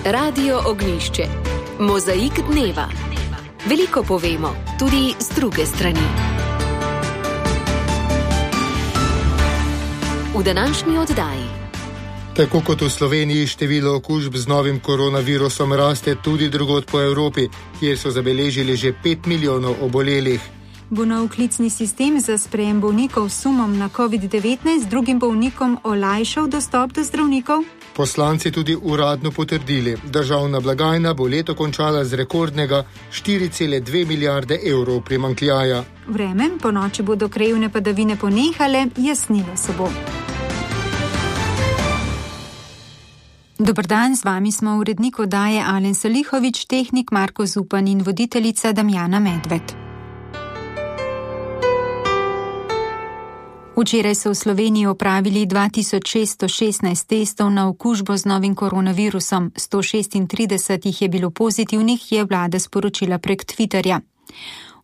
Radio Ognjišče. Mozaik dneva. Veliko povemo, tudi z druge strani. V današnji oddaji. Tako kot v Sloveniji število okužb z novim koronavirusom raste tudi drugod po Evropi, kjer so zabeležili že 5 milijonov obolelih. Bo nov klicni sistem za sprejem bolnikov s sumom na COVID-19 drugim bolnikom olajšal dostop do zdravnikov? Poslanci tudi uradno potrdili, državna blagajna bo leto končala z rekordnega 4,2 milijarde evrov primanjkljaja. Vreme, po noči bodo krajevne padavine ponehale, jasnilo se bo. Dober dan, z vami smo urednik oddaje Alen Salihovič, tehnik Marko Zupan in voditeljica Damjana Medved. Včeraj so v Sloveniji opravili 2616 testov na okužbo z novim koronavirusom, 136 jih je bilo pozitivnih, je vlada sporočila prek Twitterja.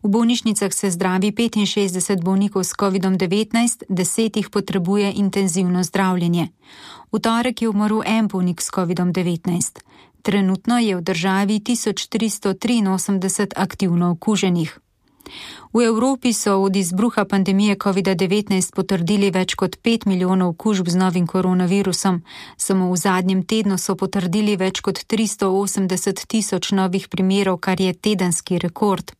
V bolnišnicah se zdravi 65 bolnikov s COVID-19, 10 jih potrebuje intenzivno zdravljenje. V torek je umrl en bolnik s COVID-19. Trenutno je v državi 1383 aktivno okuženih. V Evropi so od izbruha pandemije COVID-19 potrdili več kot 5 milijonov okužb z novim koronavirusom. Samo v zadnjem tednu so potrdili več kot 380 tisoč novih primerov, kar je tedenski rekord.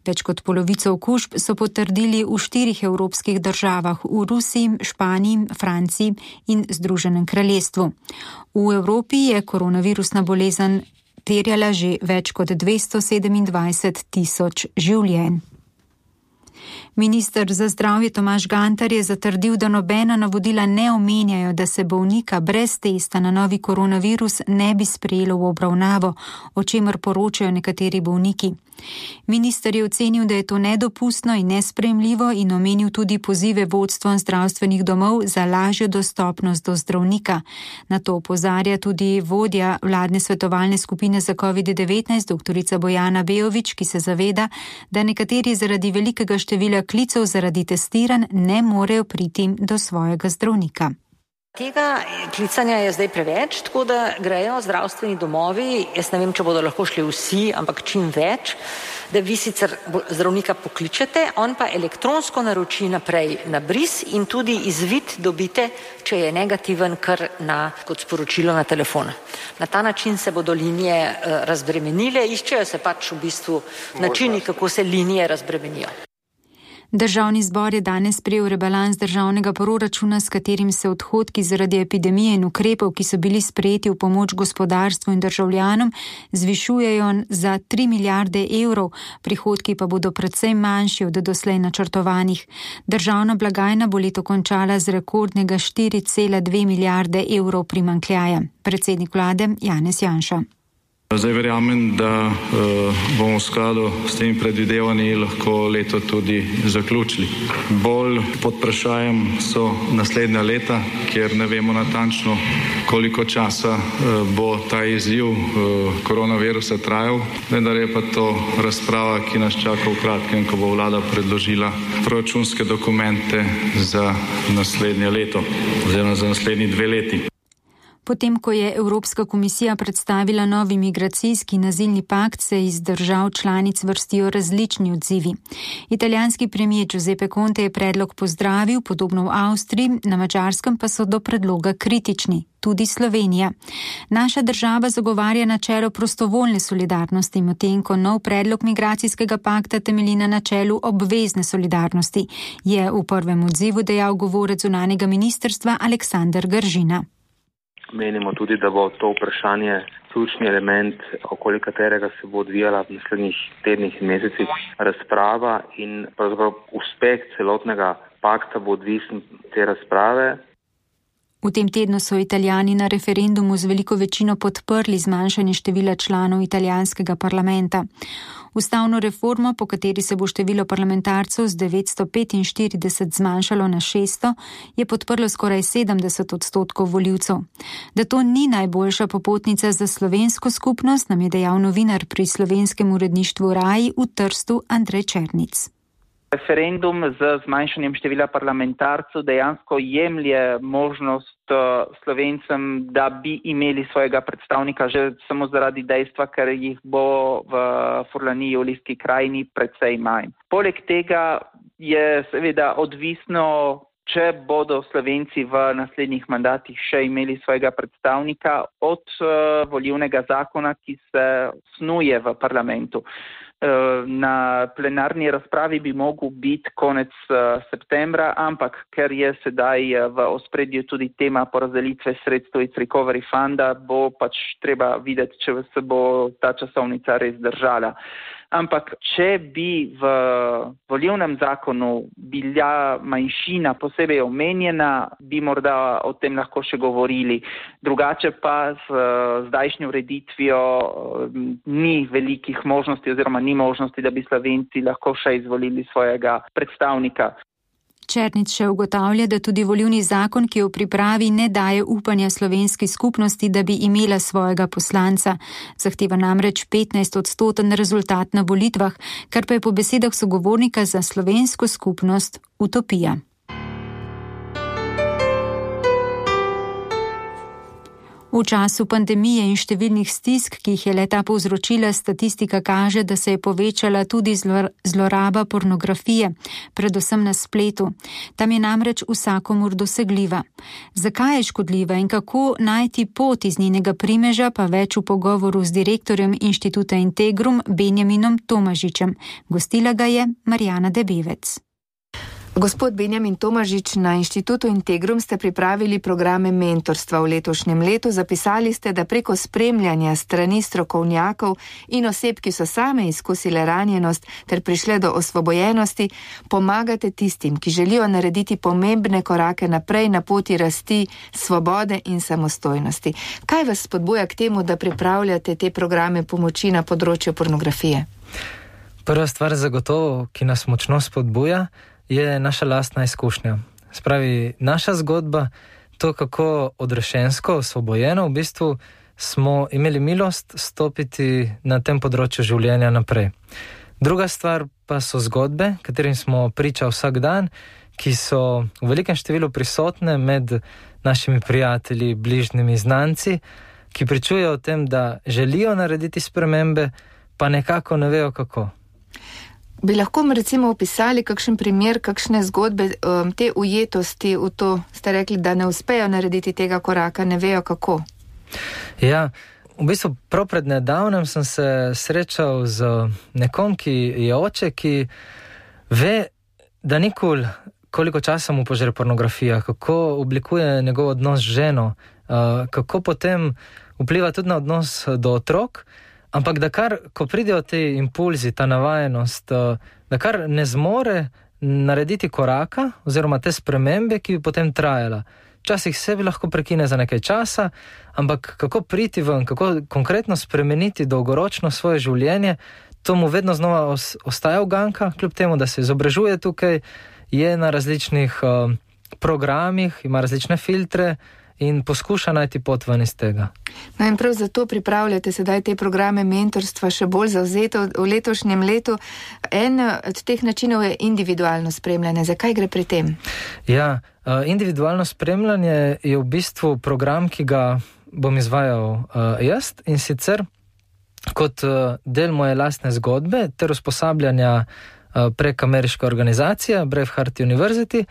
Več kot polovico okužb so potrdili v 4 evropskih državah, v Rusiji, Španiji, Franciji in Združenem kraljestvu. V Evropi je koronavirusna bolezen terjala že več kot 227 tisoč življenj. Minister za zdravje Tomaž Gantar je zatrdil, da nobena navodila ne omenjajo, da se bolnika brez testa na novi koronavirus ne bi sprejelo v obravnavo, o čemer poročajo nekateri bolniki. Minister je ocenil, da je to nedopustno in nesprejemljivo in omenil tudi pozive vodstvom zdravstvenih domov za lažjo dostopnost do zdravnika. Na to opozarja tudi vodja vladne svetovalne skupine za COVID-19, doktorica Bojana Bejović, ki se zaveda, da nekateri zaradi velikega števila klicev zaradi testiranj ne morejo priti do svojega zdravnika. Tega klicanja je zdaj preveč, tako da grejo zdravstveni domovi, jaz ne vem, če bodo lahko šli vsi, ampak čim več, da vi sicer zdravnika pokličete, on pa elektronsko naroči naprej na bris in tudi izvid dobite, če je negativen, kar kot sporočilo na telefon. Na ta način se bodo linije razbremenile, iščejo se pač v bistvu načini, kako se linije razbremenijo. Državni zbor je danes sprejel rebalans državnega proračuna, s katerim se odhodki zaradi epidemije in ukrepov, ki so bili sprejeti v pomoč gospodarstvu in državljanom, zvišujejo za 3 milijarde evrov, prihodki pa bodo predvsem manjši od doslej načrtovanih. Državna blagajna bo leto končala z rekordnega 4,2 milijarde evrov primanjkljaja. Predsednik vlade Janez Janša. Zdaj verjamem, da bomo v skladu s temi predvidevanji lahko leto tudi zaključili. Bolj pod vprašajem so naslednja leta, kjer ne vemo natančno, koliko časa bo ta izziv koronavirusa trajal. Vendar je pa to razprava, ki nas čaka v kratkem, ko bo vlada predložila proračunske dokumente za naslednje leto oziroma za naslednji 2 leti. Potem, ko je Evropska komisija predstavila novi migracijski in azilni pakt, se iz držav članic vrstijo različni odzivi. Italijanski premier Giuseppe Conte je predlog pozdravil, podobno v Avstriji, na Madžarskem pa so do predloga kritični. Tudi Slovenija. Naša država zagovarja načelo prostovoljne solidarnosti, medtem ko nov predlog migracijskega pakta temelji na načelu obvezne solidarnosti, je v prvem odzivu dejal govorec zunanjega ministrstva Aleksander Gržina. Menimo tudi, da bo to vprašanje ključni element, okoli katerega se bo odvijala v naslednjih tednih in mesecih razprava in pravzaprav uspeh celotnega pakta bo odvisen te razprave. V tem tednu so Italijani na referendumu z veliko večino podprli zmanjšanje števila članov italijanskega parlamenta. Ustavno reformo, po kateri se bo število parlamentarcev z 945 zmanjšalo na 600, je podprlo skoraj 70% volivcev. Da to ni najboljša popotnica za slovensko skupnost, nam je dejal novinar pri slovenskem uredništvu RAI v Trstu Andrej Černic. Referendum z zmanjšanjem števila parlamentarcev dejansko jemlje možnost Slovencem, da bi imeli svojega predstavnika že samo zaradi dejstva, ker jih bo v Furlaniji, Julijski krajini precej manj. Poleg tega je seveda odvisno, če bodo Slovenci v naslednjih mandatih še imeli svojega predstavnika od volilnega zakona, ki se snuje v parlamentu. Na plenarni razpravi bi mogel biti konec septembra, ampak ker je sedaj v ospredju tudi tema porazdelitve sredstev iz Recovery Funda, bo pač treba videti, če se bo ta časovnica res držala. Ampak če bi v volilnem zakonu bila manjšina posebej omenjena, bi morda o tem lahko še govorili. Drugače pa z zdajšnjo ureditvijo ni velikih možnosti oziroma ni možnosti, da bi Slovenci lahko še izvolili svojega predstavnika. Černič še ugotavlja, da tudi volilni zakon, ki v pripravi ne daje upanja slovenski skupnosti, da bi imela svojega poslanca. Zahteva namreč 15% rezultat na volitvah, kar pa je po besedah sogovornika za slovensko skupnost utopija. V času pandemije in številnih stisk, ki jih je leta povzročila, statistika kaže, da se je povečala tudi zloraba pornografije, predvsem na spletu. Tam je namreč vsakomur dosegljiva. Zakaj je škodljiva in kako najti pot iz njenega primeža, pa več v pogovoru z direktorjem Inštituta Integrum Benjaminom Tomažičem. Gostila ga je Marjana Debevec. Gospod Benjamin Tomažič, na Inštitutu Integrum ste pripravili programe mentorstva v letošnjem letu. Zapisali ste, da preko spremljanja strani strokovnjakov in oseb, ki so same izkusile ranjenost ter prišle do osvobojenosti, pomagate tistim, ki želijo narediti pomembne korake naprej na poti rasti, svobode in samostojnosti. Kaj vas spodbuja k temu, da pripravljate te programe pomoči na področju pornografije? Prva stvar zagotovo, ki nas močno spodbuja, je naša lastna izkušnja. Spravi, naša zgodba, to kako odrešensko, osvobojeno v bistvu smo imeli milost stopiti na tem področju življenja naprej. Druga stvar pa so zgodbe, katerim smo priča vsak dan, ki so v velikem številu prisotne med našimi prijatelji, bližnjimi, znanci, ki pričujejo o tem, da želijo narediti spremembe, pa nekako ne vejo kako. Bi lahko recimo opisali kakšen primer, kakšne zgodbe, te ujetosti v to, ste rekli, da ne uspejo narediti tega koraka, ne vejo kako? Ja, v bistvu prav pred nedavnem sem se srečal z nekom, ki je oče, ki ve, da nikoli koliko časa mu požre pornografija, kako oblikuje njegov odnos z ženo, kako potem vpliva tudi na odnos do otrok, ampak da kar, ko pridejo te impulzi, ta navajenost, da kar ne zmore narediti koraka oziroma te spremembe, ki bi potem trajala. Včasih se bi lahko prekine za nekaj časa, ampak kako priti ven, kako konkretno spremeniti dolgoročno svoje življenje, to mu vedno znova ostaja uganka, kljub temu, da se izobražuje tukaj, je na različnih programih, ima različne filtre, in poskuša najti pot ven iz tega. No in prav zato pripravljate sedaj te programe mentorstva še bolj zavzeto v letošnjem letu. En od teh načinov je individualno spremljanje. Zakaj gre pri tem? Ja, individualno spremljanje je v bistvu program, ki ga bom izvajal jaz, in sicer kot del moje lastne zgodbe ter usposabljanja prek ameriške organizacije Braveheart University.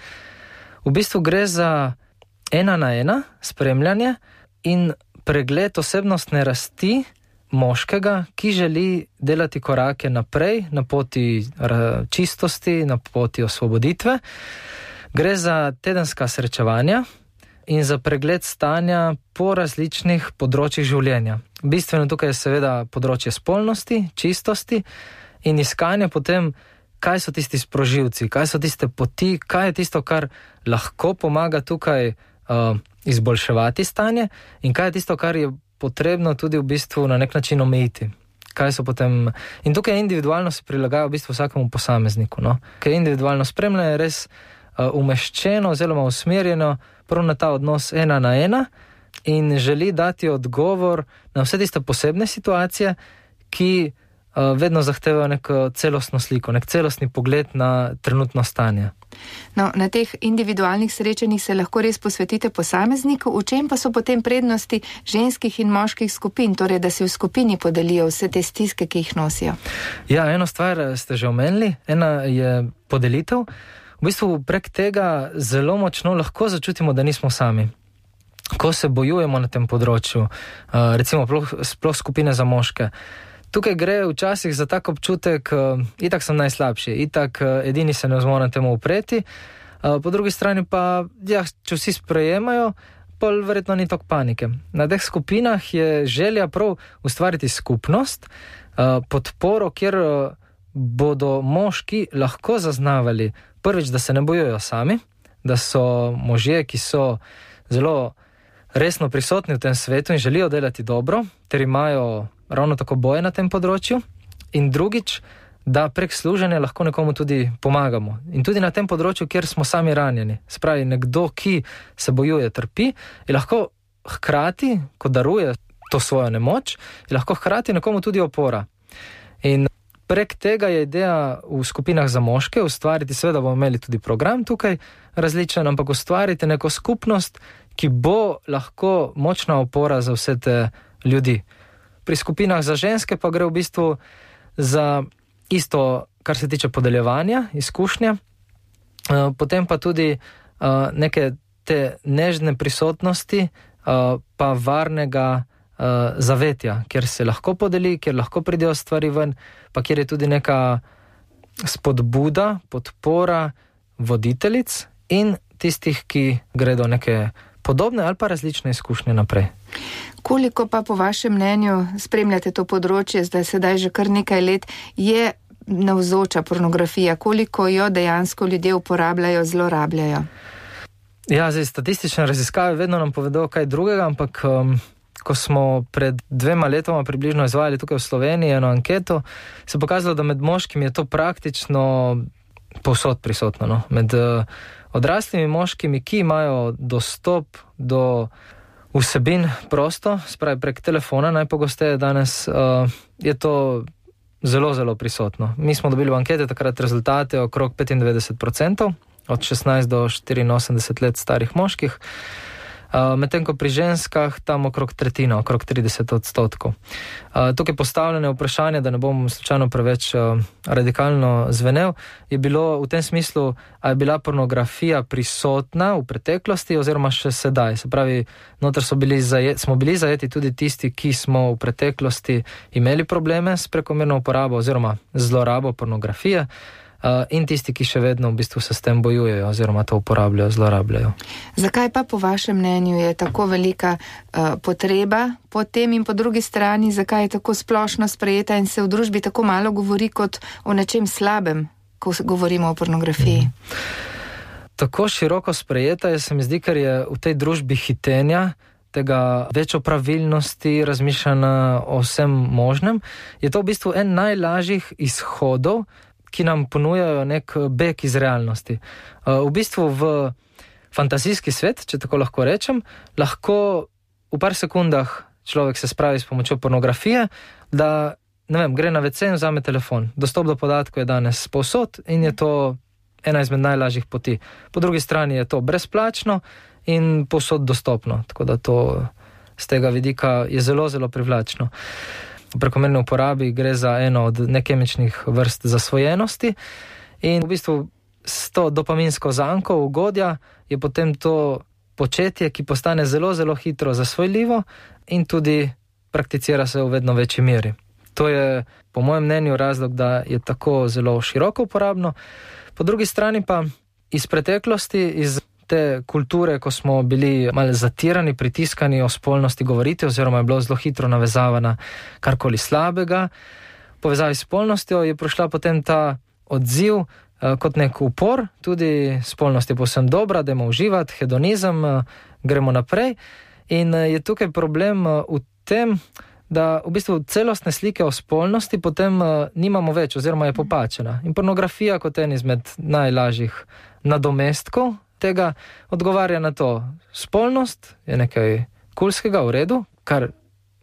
V bistvu gre za 1-na-1 spremljanje in pregled osebnostne rasti moškega, ki želi delati korake naprej na poti čistosti, na poti osvoboditve. Gre za tedenska srečevanja in za pregled stanja po različnih področjih življenja. Bistveno tukaj je seveda področje spolnosti, čistosti in iskanje potem, kaj so tisti sprožilci, kaj so tiste poti, kaj je tisto, kar lahko pomaga tukaj izboljševati stanje in kaj je tisto, kar je potrebno tudi v bistvu na nek način omejiti. Kaj so potem... In tukaj individualno se prilagaja v bistvu vsakemu posamezniku, no? Ker individualno spremljanje je res umeščeno oziroma usmerjeno prav na ta odnos 1-na-1 in želi dati odgovor na vse tiste posebne situacije, ki vedno zahtevajo neko celostno sliko, nek celostni pogled na trenutno stanje. No, na teh individualnih srečanjih se lahko res posvetite posamezniku, v čem pa so potem prednosti ženskih in moških skupin, torej da se v skupini podelijo vse te stiske, ki jih nosijo? Ja, eno stvar ste že omenili, ena je podelitev. V bistvu prek tega zelo močno lahko začutimo, da nismo sami. Ko se bojujemo na tem področju, recimo sploh skupine za moške, tukaj gre včasih za tak občutek, itak sem najslabši, itak edini se ne zmorem temu upreti, po drugi strani pa, ja, če vsi sprejemajo, pol verjetno ni toliko panike. Na teh skupinah je želja prav ustvariti skupnost, podporo, kjer bodo moški lahko zaznavali prvič, da se ne bojujejo sami, da so možje, ki so zelo resno prisotni v tem svetu in želijo delati dobro, ter imajo ravno tako boje na tem področju, in drugič, da prek služenja lahko nekomu tudi pomagamo. In tudi na tem področju, kjer smo sami ranjeni. Spravi, nekdo, ki se bojuje, trpi, je lahko hkrati, ko daruje to svojo nemoč, je lahko hkrati nekomu tudi opora. In prek tega je ideja v skupinah za moške ustvariti, seveda bomo imeli tudi program tukaj različen, ampak ustvariti neko skupnost, ki bo lahko močna opora za vse te ljudi. Pri skupinah za ženske pa gre v bistvu za isto, kar se tiče podeljevanja, izkušnja, potem pa tudi neke te nežne prisotnosti, pa varnega zavetja, kjer se lahko podeli, kjer lahko pridejo stvari ven, pa kjer je tudi neka spodbuda, podpora voditeljic in tistih, ki gredo neke podobne ali pa različne izkušnje naprej. Koliko pa po vašem mnenju spremljate to področje, zdaj sedaj že kar nekaj let, je navzoča pornografija? Koliko jo dejansko ljudje uporabljajo, zlorabljajo? Ja, zdaj statistične raziskave vedno nam povedo kaj drugega, ampak ko smo pred 2 letoma približno izvajali tukaj v Sloveniji eno anketo, se je pokazalo, da med moškimi je to praktično povsod prisotno. No? Med odraslimi moškimi, ki imajo dostop do vsebin prosto, spravi prek telefona najpogosteje danes, je to zelo, zelo prisotno. Mi smo dobili v ankete takrat rezultate okrog 95%, od 16 do 84 let starih moških, medtem ko pri ženskah tam okrog tretjina, okrog 30%. Tukaj postavljene vprašanje, da ne bom slučajno preveč radikalno zvenel, je bilo v tem smislu, a je bila pornografija prisotna v preteklosti oziroma še sedaj. Se pravi, noter smo bili zajeti tudi tisti, ki smo v preteklosti imeli probleme s prekomerno uporabo oziroma zlorabo pornografije, in tisti, ki še vedno v bistvu se s tem bojujejo oziroma to uporabljajo, zlorabljajo. Zakaj pa po vašem mnenju je tako velika potreba po tem in po drugi strani, zakaj je tako splošno sprejeta in se v družbi tako malo govori kot o nečem slabem, ko govorimo o pornografiji? Tako široko sprejeta je, se mi zdi, ker je v tej družbi hitenja, tega večjo pravilnosti, razmišljanja o vsem možnem, je to v bistvu en najlažjih izhodov, ki nam ponujajo nek beg iz realnosti. V bistvu v fantazijski svet, če tako lahko rečem, lahko v par sekundah človek se spravi s pomočjo pornografije, da, ne vem, gre na WC in vzame telefon. Dostop do podatkov je danes povsod in je to ena izmed najlažjih poti. Po drugi strani je to brezplačno in povsod dostopno, tako da to z tega vidika je zelo, zelo privlačno. V prekomerni uporabi gre za eno od nekemičnih vrst zasvojenosti in v bistvu s to dopaminsko zanko ugodja je potem to početje, ki postane zelo, zelo hitro zasvojljivo in tudi prakticira se v vedno večji meri. To je po mojem mnenju razlog, da je tako zelo široko uporabno. Po drugi strani pa iz preteklosti, iz te kulture, ko smo bili malo zatirani, pritiskani o spolnosti govoriti, oziroma je bilo zelo hitro navezavana karkoli slabega. V povezavi s spolnostjo je prišla potem ta odziv kot nek upor, tudi spolnost je povsem dobra, da imamo uživati, hedonizem, gremo naprej. In je tukaj problem v tem, da v bistvu celostne slike o spolnosti potem nimamo več, oziroma je popačena. In pornografija kot en izmed najlažjih nadomestkov tega odgovarja na to. Spolnost je nekaj kulskega, v redu, kar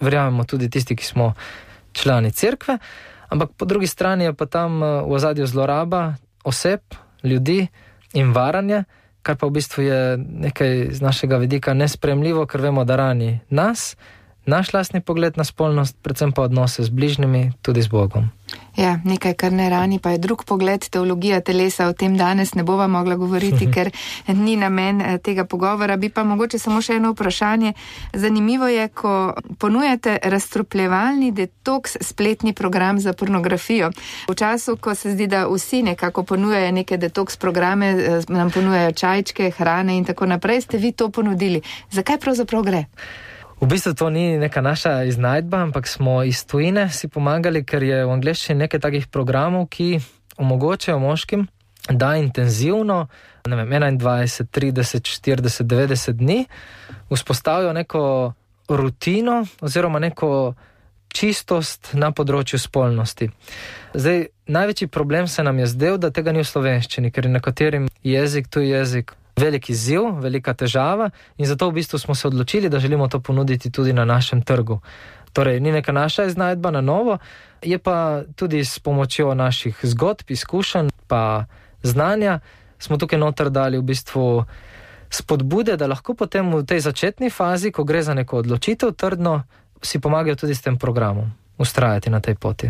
verjamemo tudi tisti, ki smo člani cerkve, ampak po drugi strani je pa tam v ozadju zloraba oseb, ljudi in varanje, kar pa v bistvu je nekaj z našega vidika nesprejemljivo, ker vemo, da rani nas, naš lastni pogled na spolnost, predvsem pa odnose z bližnjimi, tudi z Bogom. Ja, nekaj, kar ne rani, pa je drug pogled, teologija telesa, o tem danes ne bova mogla govoriti, ker ni namen tega pogovora. Bi pa mogoče samo še eno vprašanje. Zanimivo je, ko ponujate razstropljevalni detoks spletni program za pornografijo. V času, ko se zdi, da vsi nekako ponujajo neke detoks programe, nam ponujajo čajčke, hrane in tako naprej, ste vi to ponudili. Zakaj pravzaprav gre? V bistvu to ni neka naša iznajdba, ampak smo iz tujine si pomagali, ker je v angleščini nekaj takih programov, ki omogočajo moškim, da intenzivno, 21, 30, 40, 90 dni vzpostavijo neko rutino oziroma neko čistost na področju spolnosti. Zdaj, največji problem se nam je zdel, da tega ni v slovenščini, ker je nekaterim jezik, tuj jezik, velik izziv, velika težava in zato v bistvu smo se odločili, da želimo to ponuditi tudi na našem trgu. Torej, ni neka naša iznajdba na novo, je pa tudi s pomočjo naših zgodb, izkušenj pa znanja smo tukaj noter dali v bistvu spodbude, da lahko potem v tej začetni fazi, ko gre za neko odločitev trdno, si pomagajo tudi s tem programom ustrajati na tej poti.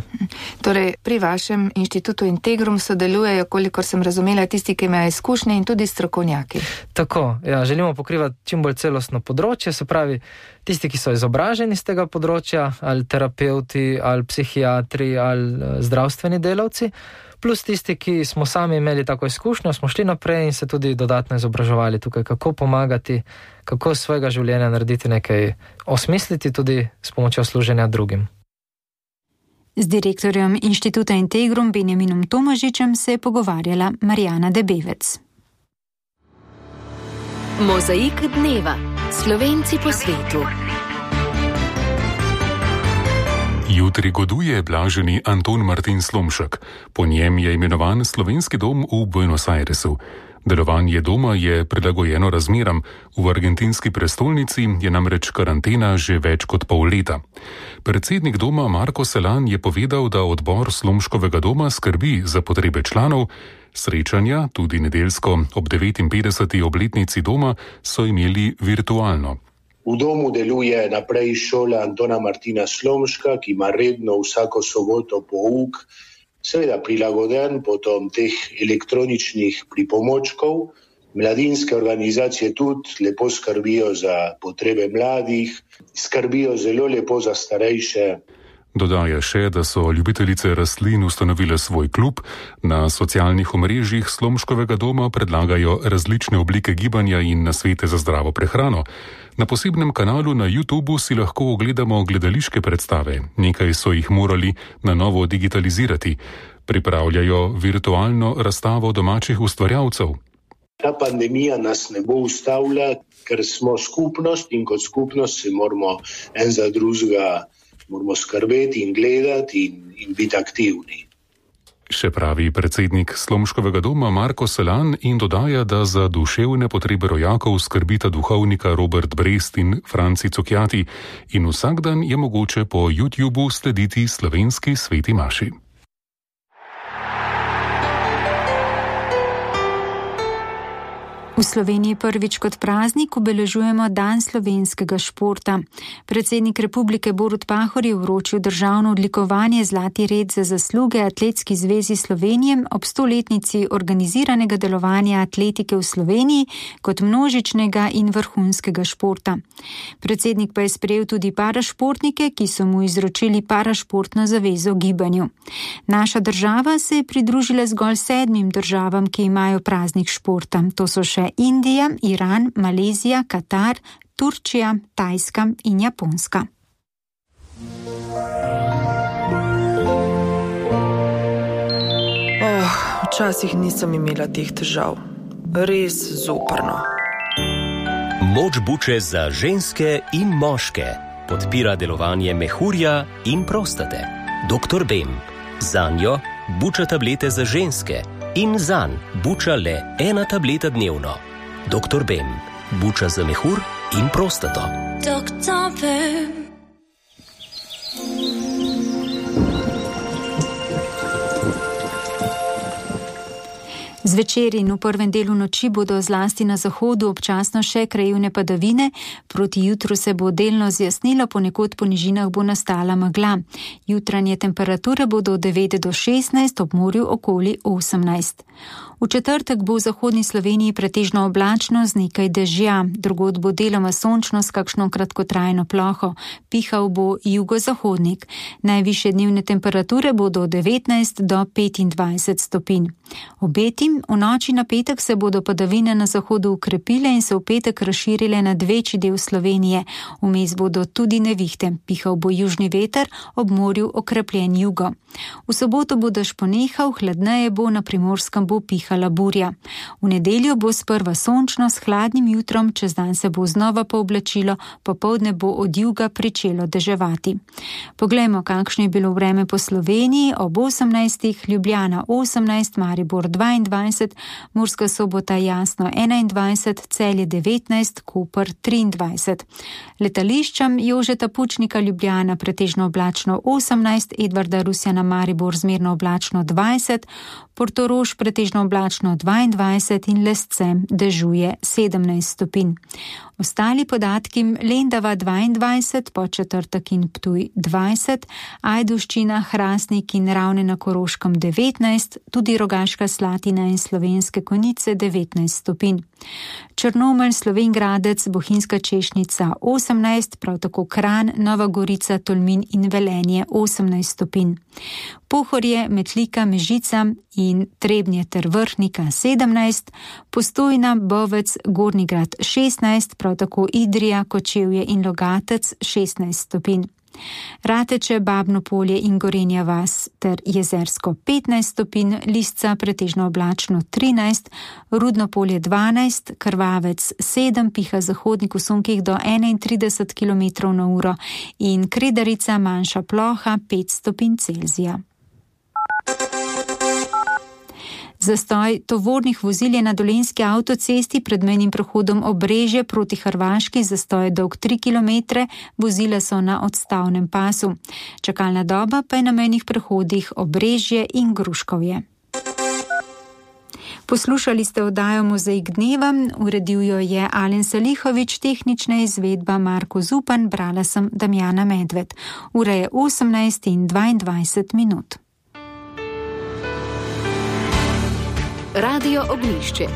Torej, pri vašem inštitutu Integrum sodelujejo, kolikor sem razumela, tisti, ki imajo izkušnje in tudi strokovnjaki. Tako, ja, želimo pokrivati čim bolj celostno področje, se pravi, tisti, ki so izobraženi z tega področja, ali terapeuti, ali psihiatri, ali zdravstveni delavci, plus tisti, ki smo sami imeli tako izkušnjo, smo šli naprej in se tudi dodatno izobraževali tukaj, kako pomagati, kako svojega življenja narediti nekaj, osmisliti tudi s pomočjo služenja drugim. Z direktorjem inštituta Integrum Benjaminom Tomažičem se je pogovarjala Marjana Debevec. Mozaik dneva. Slovenci po svetu. Jutri goduje blaženi Anton Martin Slomšek. Po njem je imenovan Slovenski dom v Buenos Airesu. Delovanje doma je prilagojeno razmeram. V argentinski prestolnici je namreč karantena že več kot pol leta. Predsednik doma Marko Selan je povedal, da odbor Slomškovega doma skrbi za potrebe članov. Srečanja, tudi nedeljsko ob 59. obletnici doma, so imeli virtualno. V domu deluje naprej šola Antona Martina Slomška, ki ima redno vsako soboto pouk, seveda prilagoden potom teh elektroničnih pripomočkov. Mladinske organizacije tudi lepo skrbijo za potrebe mladih, skrbijo zelo lepo za starejše. Dodaja še, da so ljubitelice rastlin ustanovile svoj klub, na socialnih omrežjih Slomškovega doma predlagajo različne oblike gibanja in nasvete za zdravo prehrano. Na posebnem kanalu na YouTubu si lahko ogledamo gledališke predstave, nekaj so jih morali na novo digitalizirati. Pripravljajo virtualno razstavo domačih ustvarjalcev. Ta pandemija nas ne bo ustavila, ker smo skupnost in kot skupnost se moramo en za drugega skrbeti in gledati in biti aktivni. Še pravi predsednik Slomškovega doma Marko Selan in dodaja, da za duševne potrebe rojakov skrbita duhovnika Robert Brest in Franci Cukjati in vsak dan je mogoče po YouTubu slediti slovenski sveti maši. V Sloveniji prvič kot praznik obeležujemo Dan slovenskega športa. Predsednik republike Borut Pahor je vročil državno odlikovanje Zlati red za zasluge Atletski zvezi Slovenije ob 100-letnici organiziranega delovanja atletike v Sloveniji kot množičnega in vrhunskega športa. Predsednik pa je sprejel tudi parašportnike, ki so mu izročili parašportno zavezo gibanju. Naša država se je pridružila zgolj 7 državam, ki imajo praznik športa. To so še Indija, Iran, Malezija, Katar, Turčija, Tajska in Japonska. Včasih nisem imela teh težav. Res zoprno. Moč buče za ženske in moške podpira delovanje mehurja in prostate. Dr. Bem. Zanjo buča tablete za ženske. In zanj buča le 1 tableta dnevno. Dr. Bem. Buča za mehur in prostato. Dr. Bem. Zvečer in v prvem delu noči bodo zlasti na zahodu občasno še krajevne padavine, proti jutru se bo delno zjasnilo, ponekod po nižinah bo nastala megla. Jutranje temperature bodo od 9 do 16, ob morju okoli 18. V četrtek bo v zahodni Sloveniji pretežno oblačno z nekaj dežja, drugod bo deloma sončno s kakšno kratkotrajno ploho, pihal bo jugozahodnik. Najvišje dnevne temperature bodo od 19 do 25 stopinj. Obetim, v noči na petek se bodo padavine na zahodu ukrepile in se v petek razširile nad večji del Slovenije. Vmes bodo tudi nevihte, pihal bo južni veter, ob morju okrepljen jugo. V soboto bo dež ponehal, hladneje bo, na Primorskem bo pihala burja. V nedeljo bo sprva sončno s hladnim jutrom, čez dan se bo znova pooblačilo, popoldne bo od juga pričelo deževati. Poglejmo, kakšno je bilo vreme po Sloveniji. Ob 18. Ljubljana 18, Maribor 22, Murska Sobota jasno 21, Celje 19, Koper 23. Letališčem Jožeta Pučnika Ljubljana pretežno oblačno 18, Edvarda Rusjana Maribor zmerno oblačno 20, Portorož pretežno oblačno 22 in Lesce dežuje 17 stopinj. Ostali podatki: Lendava 22, Podčetrtek in Ptuj 20, Ajdovščina, Hrastnik in Ravne na Koroškem 19, tudi Rogaška Slatina in Slovenske Konjice 19 stopinj. Črnomelj, Slovenj Gradec, Bohinjska Češnica 18, prav tako Kranj, Nova Gorica, Tolmin in Velenje 18 stopinj. Pohorje, Metlika, Mežica in Trebnje ter Vrhnika 17, Postojna, Bovec, Gornji Grad 16, prav tako Idrija, Kočevje in Logatec 16 stopinj. Rateče, Babno Polje in Gorenja vas ter Jezersko 15 stopinj, Lisca pretežno oblačno 13, Rudno Polje 12, Krvavec 7, piha zahodnik v sunkih do 31 km/h in Kredarica, manjša ploha 5 stopinj Celzija. Zastoj tovornih vozil je na dolenjski avtocesti pred mejnim prehodom Obrežje proti Hrvaški, zastoj dolg 3 km, vozila so na odstavnem pasu. Čakalna doba pa je na mejnih prehodih Obrežje in Gruškovje. Poslušali ste oddajo Mozaik dneva, uredil jo je Alen Salihovič, tehnična izvedba Marko Zupan, brala sem Damjana Medved. Ura je 18:22. Radio Ognjišče.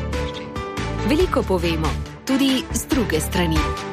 Veliko povemo, tudi z druge strani.